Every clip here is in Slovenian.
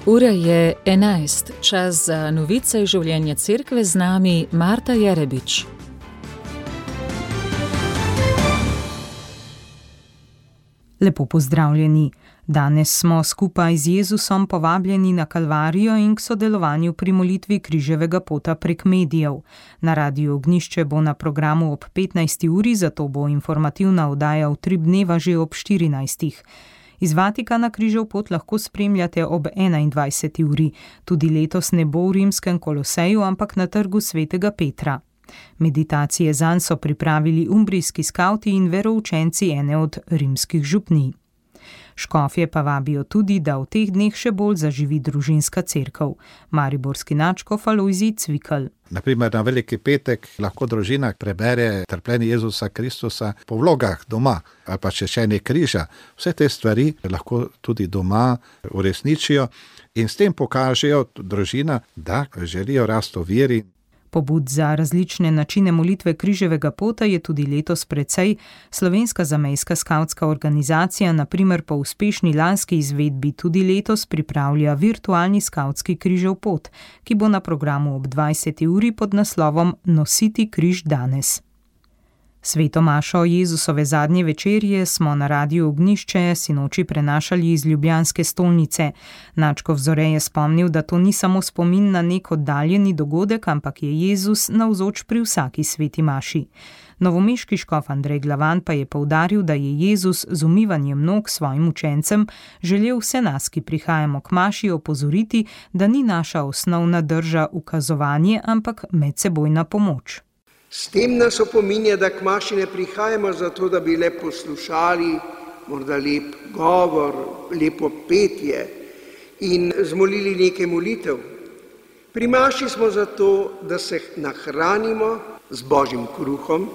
Ura je 11, čas za novice iz življenja cerkve, z nami Marta Jerebič. Lepo pozdravljeni. Danes smo skupaj z Jezusom povabljeni na Kalvarijo in k sodelovanju pri molitvi križevega pota prek medijev. Na Radiu Ognjišče bo na programu ob 15. uri, zato bo informativna oddaja v 3 dneva že ob 14. Iz Vatikana križev pot lahko spremljate ob 21. uri. Tudi letos ne bo v rimskem Koloseju, ampak na trgu svetega Petra. Meditacije zanj so pripravili umbrijski skavti in veroučenci ene od rimskih župnij. Škofje pa vabijo tudi, da v teh dneh še bolj zaživi družinska cerkev. Mariborski nadškof Alojzij Cvikl. Naprimer, na Veliki petek lahko družina prebere trpljenje Jezusa Kristusa po vlogah doma ali pa češenje križa. Vse te stvari lahko tudi doma uresničijo in s tem pokažejo družina, da želijo rasti v veri. Pobud za različne načine molitve križevega pota je tudi letos precej. Slovenska zamejska skavtska organizacija, na primer po uspešni lanski izvedbi, tudi letos pripravlja virtualni skavtski križev pot, ki bo na programu ob 20. uri pod naslovom Nositi križ danes. Sveto mašo Jezusove zadnje večerje smo na Radiu Ognjišče sinoči prenašali iz ljubljanske stolnice. Nadškof Zore je spomnil, da to ni samo spomin na nek oddaljeni dogodek, ampak je Jezus navzoč pri vsaki sveti maši. Novomeški škof Andrej Glavan pa je poudaril, da je Jezus z umivanjem nog svojim učencem želel vse nas, ki prihajamo k maši, opozoriti, da ni naša osnovna drža ukazovanje, ampak medsebojna pomoč. S tem nas opominja, da k maši ne prihajamo zato, da bi le poslušali, morda lep govor, lepo petje in zmolili nekaj molitev. Pri maši smo zato, da se nahranimo z Božjim kruhom,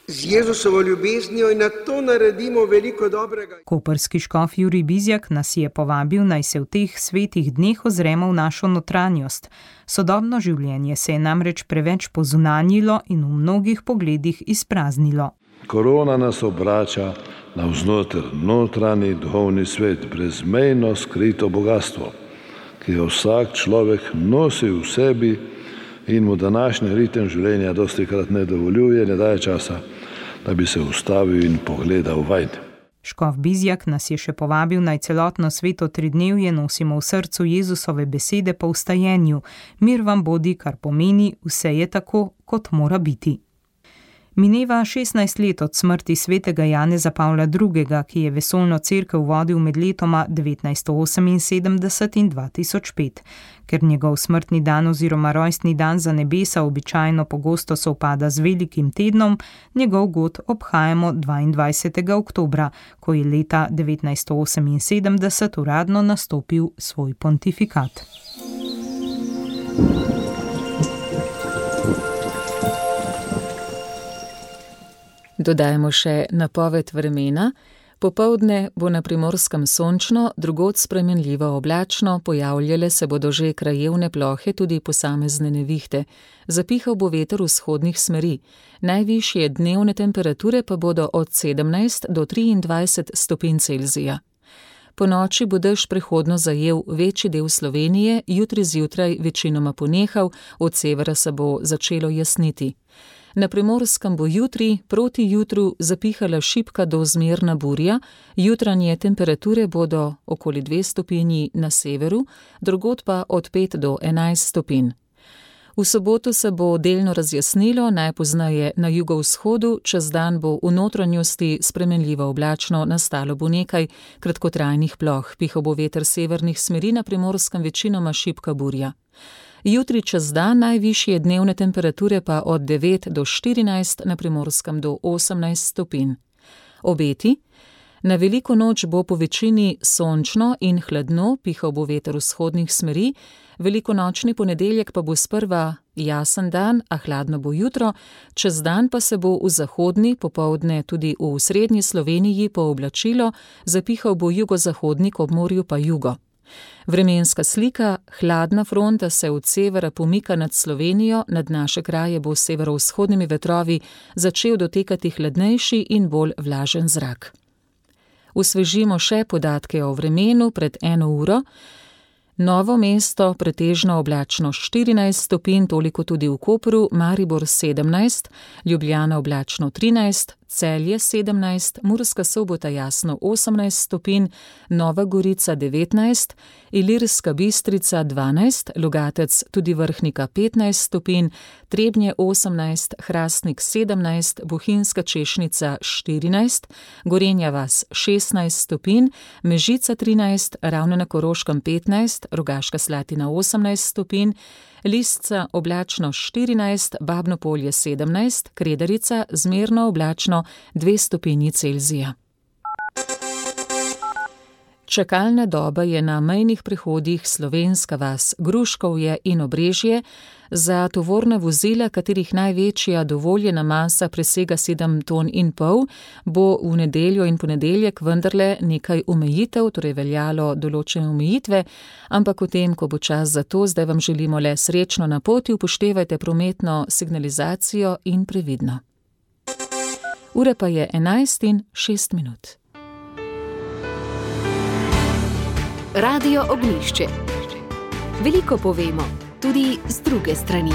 z Jezusovo ljubeznijo in na to naredimo veliko dobrega. Koprski škof Jurij Bizjak nas je povabil, naj se v teh svetih dneh ozremo v našo notranjost. Sodobno življenje se je namreč preveč pozunanjilo in v mnogih pogledih izpraznilo. Korona nas obrača navznoter notranji duhovni svet, brezmejno skrito bogastvo, ki ga vsak človek nosi v sebi in mu današnji ritem življenja dostikrat ne dovoljuje, ne daje časa, da bi se ustavil in pogledal vanj. Škof Bizjak nas je še povabil, naj celotno sveto tridnevje nosimo v srcu Jezusove besede po vstajenju. Mir vam bodi, kar pomeni, vse je tako, kot mora biti. Mineva 16 let od smrti svetega Janeza Pavla II., ki je vesoljno cerkev vodil med letoma 1978 in 2005. Ker njegov smrtni dan oziroma rojstni dan za nebesa običajno pogosto sovpada z velikim tednom, njegov god obhajamo 22. oktobra, ko je leta 1978 uradno nastopil svoj pontifikat. Dodajmo še napoved vremena. Popoldne bo na Primorskem sončno, drugod spremenljivo oblačno, pojavljale se bodo že krajevne plohe, tudi posamezne nevihte. Zapihal bo veter vzhodnih smeri. Najvišje dnevne temperature pa bodo od 17 do 23 stopinj Celzija. Po noči bo dež prehodno zajel večji del Slovenije, jutri zjutraj večinoma ponehal, od severa se bo začelo jasniti. Na Primorskem bo jutri proti jutru zapihala šibka do zmerna burja, jutranje temperature bodo okoli 2 stopinji na severu, drugod pa od 5 do 11 stopinj. V soboto se bo delno razjasnilo, najpozneje na jugovzhodu, čez dan bo v notranjosti spremenljivo oblačno, nastalo bo nekaj kratkotrajnih ploh, pihal bo veter severnih smeri, na Primorskem večinoma šibka burja. Jutri čez dan najvišje dnevne temperature pa od 9 do 14, na Primorskem do 18 stopinj. Obeti. Na veliko noč bo po večini sončno in hladno, pihal bo veter vzhodnih smeri, velikonočni ponedeljek pa bo sprva jasen dan, a hladno bo jutro, čez dan pa se bo v zahodni, popoldne tudi v srednji Sloveniji pooblačilo, zapihal bo jugozahodnik, ob morju pa jugo. Vremenska slika, hladna fronta se od severa pomika nad Slovenijo, nad naše kraje bo s severovzhodnimi vetrovi začel dotekati hladnejši in bolj vlažen zrak. Osvežimo še podatke o vremenu pred 1 uro. Novo mesto pretežno oblačno 14 stopinj, toliko tudi v Kopru, Maribor 17, Ljubljana oblačno 13, Celje 17, Murska Sobota jasno 18 stopinj, Nova Gorica 19, Ilirska Bistrica 12, Logatec tudi Vrhnika 15 stopinj, Trebnje 18, Hrastnik 17, Bohinjska Češnica 14, Gorenja vas 16 stopinj, Mežica 13, Ravne na Koroškem 15, Rogaška Slatina 18 stopinj, Lisca oblačno 14, Babno Polje 17, Kredarica zmerno oblačno 2 stopinji Celzija. Čakalna doba je na mejnih prehodih Slovenska vas, Gruškovje in Obrežje za tovorna vozila, katerih največja dovoljena masa presega 7,5 ton, bo v nedeljo in ponedeljek vendarle nekaj omejitev, torej veljalo določene omejitve, ampak o tem, ko bo čas za to, zdaj vam želimo le srečno na poti, upoštevajte prometno signalizacijo in previdno. Ura pa je 11:06. Radio Ognjišče. Veliko povemo, tudi z druge strani.